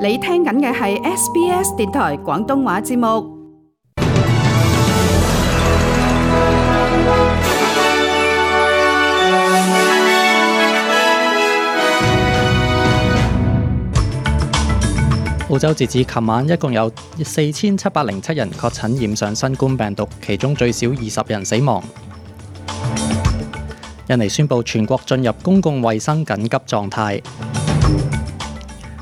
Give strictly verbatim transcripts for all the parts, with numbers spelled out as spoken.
你聽緊嘅係 S B S 電台廣東話節目。澳洲截至琴晚，一共有四千七百零七人確診染上新冠病毒，其中最少二十人死亡。印尼宣布全國進入公共衛生緊急狀態。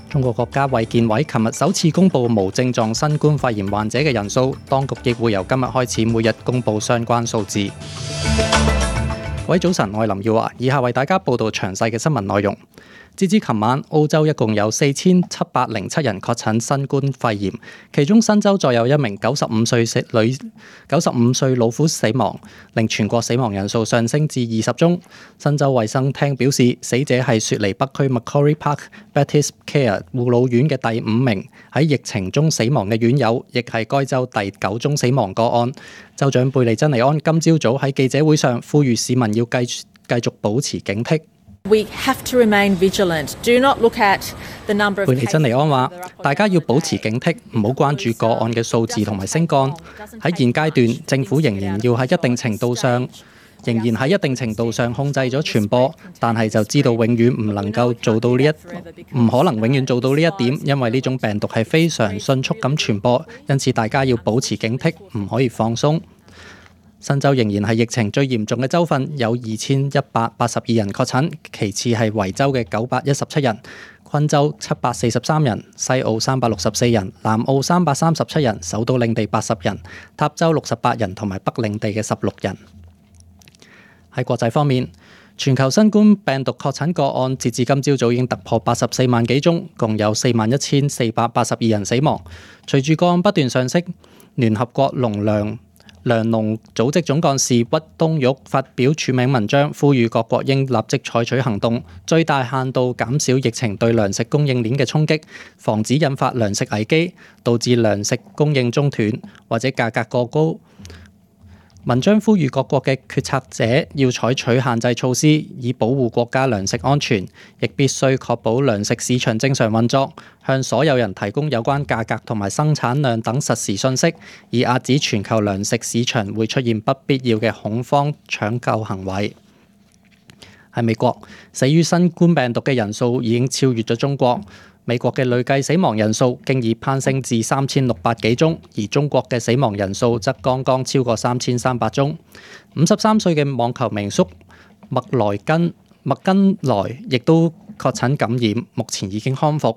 中國國家衛健委琴日首次公布無症狀新冠肺炎患者嘅人數，當局亦會由今日開始每日公布相關數字。各位早晨，我係林耀華，以下為大家報道詳細嘅新聞內容。截至琴晚，澳洲一共有四千七百零七人確診新冠肺炎，其中新州再有一名九十五歲女九十五歲老婦死亡，令全國死亡人數上升至二十宗。新州衛生廳表示，死者係雪梨北區 Macquarie Park Baptist Care 護老院嘅第五名喺疫情中死亡嘅院友，亦係該州第九宗死亡個案。州長貝利珍尼安今朝早喺記者會上呼籲市民要繼繼續保持警惕。We have to remain vigilant. Do not look at the number of cases. 貝利珍尼安話：大家要保持警惕，唔好關注個案嘅數字同埋升降。喺現階段，政府仍然要喺一定程度上，仍然喺一定程度上控制咗傳播，但係就知道永遠唔能夠做到呢一，唔可能永遠做到呢一點，因為呢種病毒係非常迅速咁傳播，因此大家要保持警惕，唔可以放鬆。新州仍然係疫情最嚴重嘅州份，有二千一百八十二人確診，其次係維州嘅九百一十七人，昆州七百四十三人，西澳三百六十四人，南澳三百三十七人，首都領地八十人，塔州六十八人，同埋北領地嘅十六人。喺國際方面，全球新冠病毒確診個案截至今朝早已經突破八十四萬幾宗，共有四萬一千四百八十二人死亡。隨住個案不斷上升，聯合國農糧糧農組織總幹事屈冬玉發表署名文章，呼籲各國應立即採取行動，最大限度減少疫情對糧食供應鏈嘅衝擊，防止引發糧食危機，導致糧食供應中斷或者價格過高。文章呼籲各國嘅決策者要採取限制措施，以保護國家糧食安全，亦必須確保糧食市場正常運作，向所有人提供有關價格同埋生產量等實時信息，以遏止全球糧食市場會出現不必要嘅恐慌搶購行為。喺美國，死於新冠病毒嘅人數已經超越咗中國。美國嘅累計死亡人數經已攀升至三千六百幾宗，而中國嘅死亡人數則剛剛超過三千三百宗。五十三歲嘅網球名宿麥萊根麥根萊亦都確診感染，目前已經康復。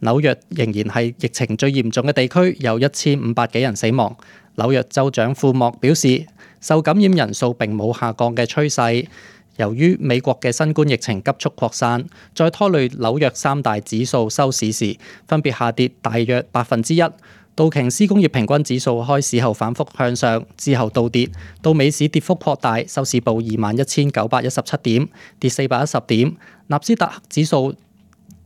紐約仍然係疫情最嚴重嘅地區，有一千五百幾人死亡。紐約州長庫莫表示，受感染人數並冇下降嘅趨勢。由於美國嘅新冠疫情急速擴散，再拖累紐約三大指數收市時分別下跌大約百分之一。道瓊斯工業平均指數開市後反覆向上，之後倒跌，到美市跌幅擴大，收市報二萬一千九百一十七點，跌四百一十點。納斯達克指數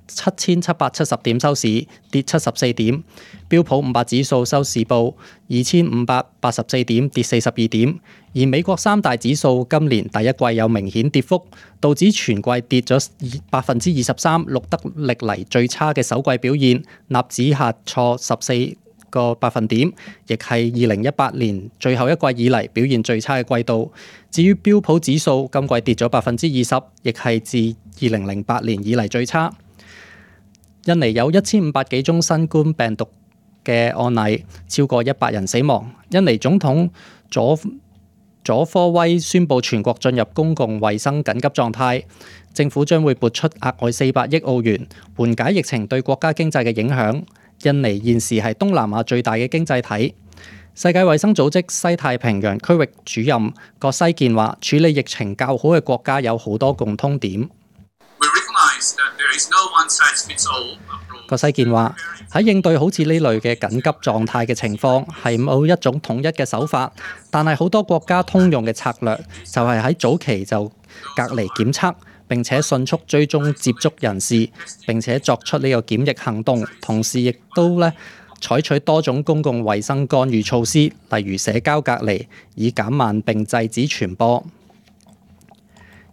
七千七百七十點收市，跌七十四點。標普五百指數收市報二千五百八十四點，跌四十二點。而美國三大指數今年第一季有明顯跌幅，道指全季跌咗百分之二十三，錄得歷嚟最差嘅首季表現。納指下挫十四個百分點，亦係二零一八年最後一季以嚟表現最差嘅季度。至於標普指數今季跌咗百分之二十，亦係自二零零八年以嚟最差。印尼有一千五百幾宗新冠病毒嘅案例，超過一百人死亡。印尼總統佐佐科威宣布全國進入公共衛生緊急狀態，政府將會撥出額外四百億澳元，緩解疫情對國家經濟嘅影響。印尼現時係東南亞最大嘅經濟體。世界衛生組織西太平洋區域主任葛西健話，處理疫情較好嘅國家有好多共通點。葛西健話，喺應對好似呢類嘅緊急狀態嘅情況，係冇一種統一嘅手法，但係好多國家通用嘅策略就係喺早期就隔離檢測，並且迅速追蹤接觸人士，並且作出呢個檢疫行動，同時亦都咧採取多種公共衛生干預措施，例如社交隔離，以減慢並制止傳播。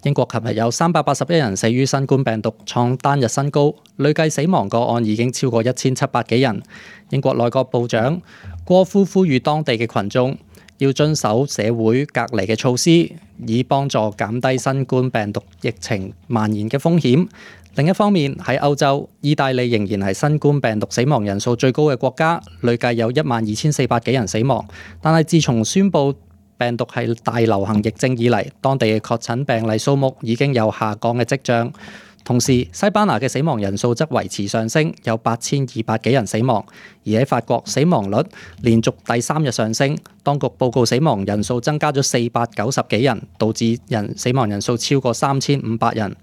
英國琴日有三百八十一人死於新冠病毒，創單日新高，累計死亡個案已經超過一千七百幾人。英國內閣部長戈夫呼籲當地嘅群眾要遵守社會隔離嘅措施，以幫助減低新冠病毒疫情蔓延嘅風險。另一方面，喺歐洲，意大利仍然係新冠病毒死亡人數最高嘅國家，累計有一萬二千四百幾人死亡。但係自從宣布病毒係大流行疫症以嚟，當地嘅確診病例數目已經有下降嘅跡象。同時，西班牙嘅死亡人數則維持上升，有八千二百幾人死亡。而喺法國，死亡率連續第三日上升，當局報告死亡人數增加咗四百九十幾人，導致人死亡人數超過三千五百人。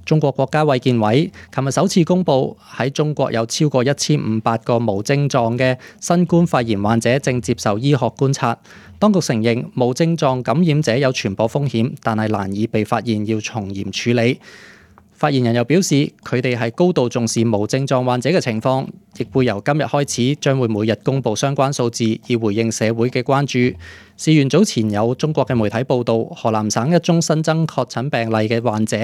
中國國家衛健委琴日首次公布，喺中國有超過一千五百個無症狀嘅新冠肺炎患者正接受醫學觀察。當局承認無症狀感染者有傳播風險，但係難以被發現，要從嚴處理。發言人又表示，佢哋係高度重視無症狀患者嘅情況，亦會由今日開始將會每日公布相關數字，以回應社會嘅關注。事源早前有中國嘅媒體報道，河南省一宗新增確診病例嘅患者，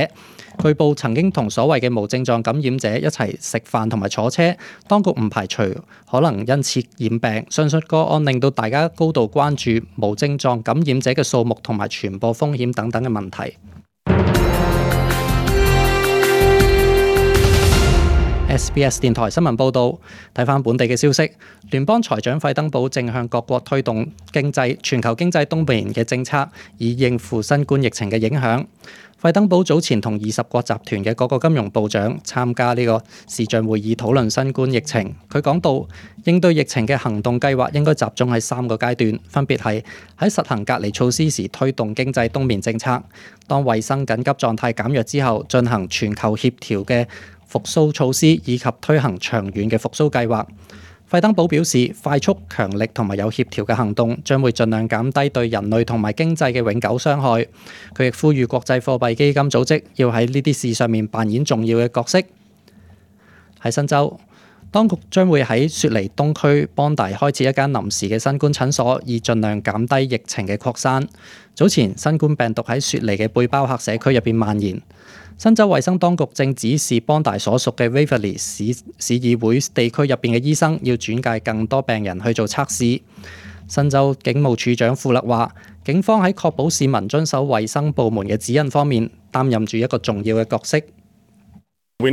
據報曾經同所謂嘅無症狀感染者一齊食飯同埋坐車，當局唔排除可能因此染病。上述個案令到大家高度關注無症狀感染者嘅數目同埋傳播風險等等嘅問題。S B S 電台新聞報導，睇返本地嘅消息，聯邦財長費登堡正向各國推動經濟全球經濟冬眠嘅政策，以應付新冠疫情嘅影響。費登堡早前同二十國集團嘅各個金融部長參加呢個視像會議討論新冠疫情。佢講到，應對疫情嘅行動計劃應該集中喺三個階段，分別係喺實行隔離措施時推動經濟冬眠政策，當衛生緊急狀態減弱之後進行全球協調嘅復甦措施，以及推行長遠嘅復甦計劃。費登堡表示，快速、強力同埋有協調嘅行動將會盡量減低對人類同埋經濟嘅永久傷害。佢亦呼籲國際貨幣基金組織要喺呢啲事上面扮演重要嘅角色。喺新州，當局將會喺雪梨東區邦大開設一間臨時嘅新冠診所，以盡量減低疫情嘅擴散。早前新冠病毒喺雪梨嘅背包客社區入邊蔓延。新州衛生當局正指示邦大所屬嘅 Waverley 市市議會地區入邊嘅醫生要轉介更多病人去做測試。新州警務處長富勒話，警方喺確保市民遵守衛生部門嘅指引方面擔任住一個重要嘅角色。富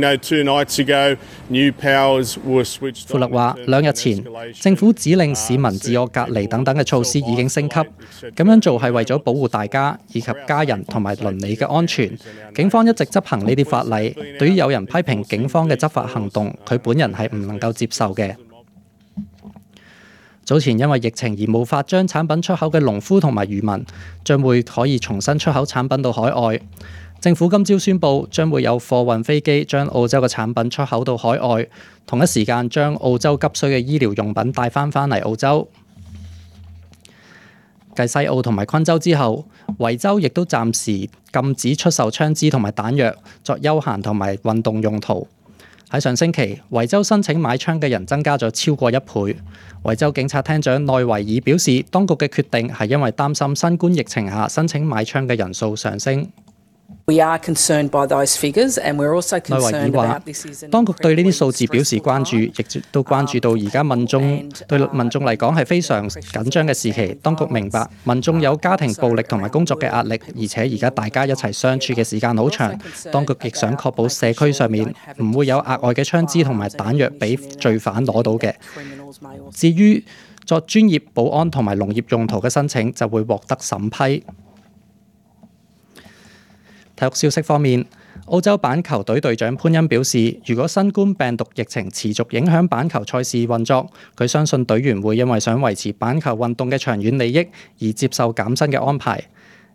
勒話，兩日前政府指令市民自我隔離等等嘅措施已經升級，咁樣做係為咗保護大家以及家人同埋鄰里嘅安全。警方一直執行呢啲法例。對於有人批評警方嘅執法行動，佢本人係唔能夠接受嘅。早前因為疫情而無法將產品出口嘅農夫同埋漁民，將會可以重新出口產品到海外。政府今朝宣布，將會有貨運飛機將澳洲嘅產品出口到海外，同一時間將澳洲急需嘅醫療用品帶翻返嚟澳洲。繼西澳同埋昆州之後，維州亦都暫時禁止出售槍支同埋彈藥作休閒同埋運動用途。喺上星期，維州申請買槍嘅人增加咗超過一倍。維州警察廳長內維爾表示，當局嘅決定係因為擔心新冠疫情下申請買槍嘅人數上升。We are concerned by those figures, and we're also concerned about this is an 當局對呢啲數字表示關注，亦都關注到而家民眾對民眾嚟講係非常緊張嘅時期。當局明白民眾有家庭暴力同埋工作嘅壓力，而且而家大家一齊相處嘅時間好長。當局亦想確保社區上面唔會有額外嘅槍支同埋彈藥俾罪犯攞到嘅。至於作專業保安同埋農業用途嘅申請，就會獲得審批。體育消息方面，澳洲板球隊隊長潘恩表示，如果新冠病毒疫情持續影響板球賽事運作，佢相信隊員會因為想維持板球運動嘅長遠利益而接受減薪嘅安排。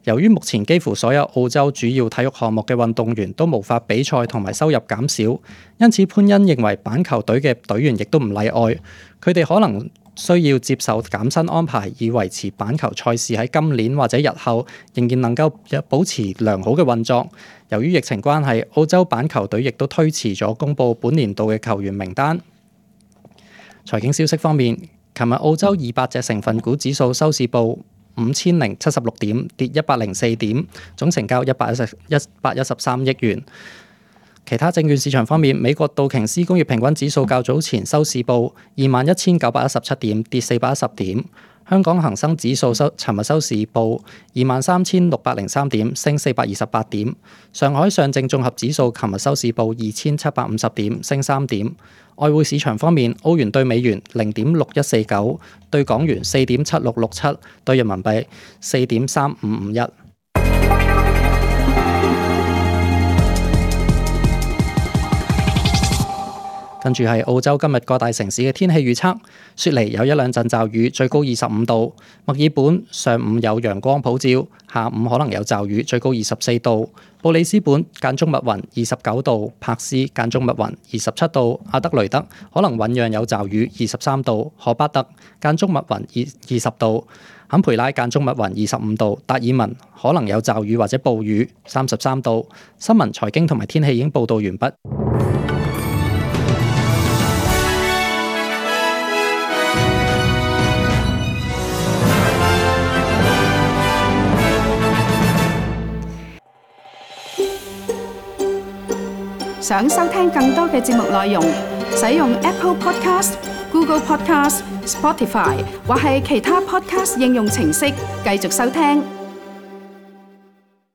由於目前幾乎所有澳洲主要體育項目嘅運動員都無法比賽同埋收入減少，因此潘恩認為板球隊嘅隊員亦都唔例外，佢哋可能需要接受減薪安排，以維持板球賽事喺今年或者日後仍然能夠保持良好嘅運作。由於疫情關係，澳洲板球隊亦都推遲咗公佈本年度嘅球員名單。財經消息方面，琴日澳洲二百隻成分股指數收市報五千零七十六點，跌一百零四點，總成交一百一十一百一十三億元。其他證券市場方面，美國道瓊斯工業平均指數較早前收市報二萬一千九百一十七點，跌四百一十點。香港恒生指數收尋日收市報二萬三千六百零三點，升四百二十八點。上海上證綜合指數尋日收市報二千七百五十點，升三點。外匯市場方面，澳元對美元零點六一四九，對港元四點七六六七，對人民幣四點三五五一。跟住係澳洲今日各大城市嘅天氣預測：雪梨有一兩陣驟雨，最高二十五度；墨爾本上午有陽光普照，下午可能有驟雨，最高二十四度；布里斯本間中密雲，二十九度；柏斯間中密雲，二十七度；阿德雷德可能醞釀有驟雨，二十三度；荷巴特間中密雲，二二十度；坎培拉間中密雲，二十五度；達爾文可能有驟雨或者暴雨，三十三度。新聞、財經同埋天氣已經報道完畢。想收聽更多嘅節目內容，使用 Apple Podcast、Google Podcast、Spotify 或係其他 Podcast 應用程式繼續收聽。